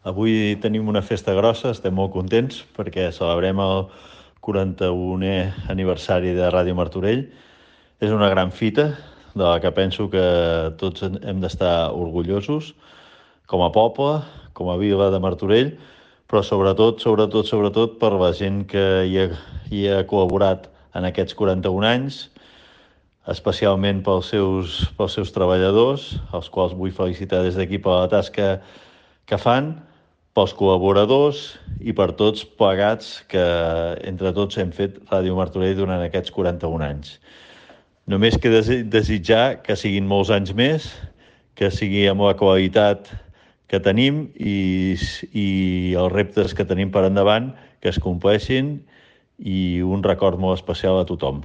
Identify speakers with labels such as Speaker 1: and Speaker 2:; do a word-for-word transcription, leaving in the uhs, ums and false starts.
Speaker 1: Avui tenim una festa grossa, estem molt contents perquè celebrem el quaranta-unè aniversari de Ràdio Martorell. És una gran fita de la que penso que tots hem d'estar orgullosos, com a poble, com a vila de Martorell, però sobretot, sobretot, sobretot per la gent que hi ha, hi ha col·laborat en aquests quaranta-un anys, especialment pels seus, pels seus treballadors, els quals vull felicitar des d'aquí per la tasca que fan, pels col·laboradors i per tots plegats que entre tots hem fet Ràdio Martorell durant aquests quaranta-un anys. Només queda desitjar que siguin molts anys més, que sigui amb la qualitat que tenim i, i els reptes que tenim per endavant, que es compleixin, i un record molt especial a tothom.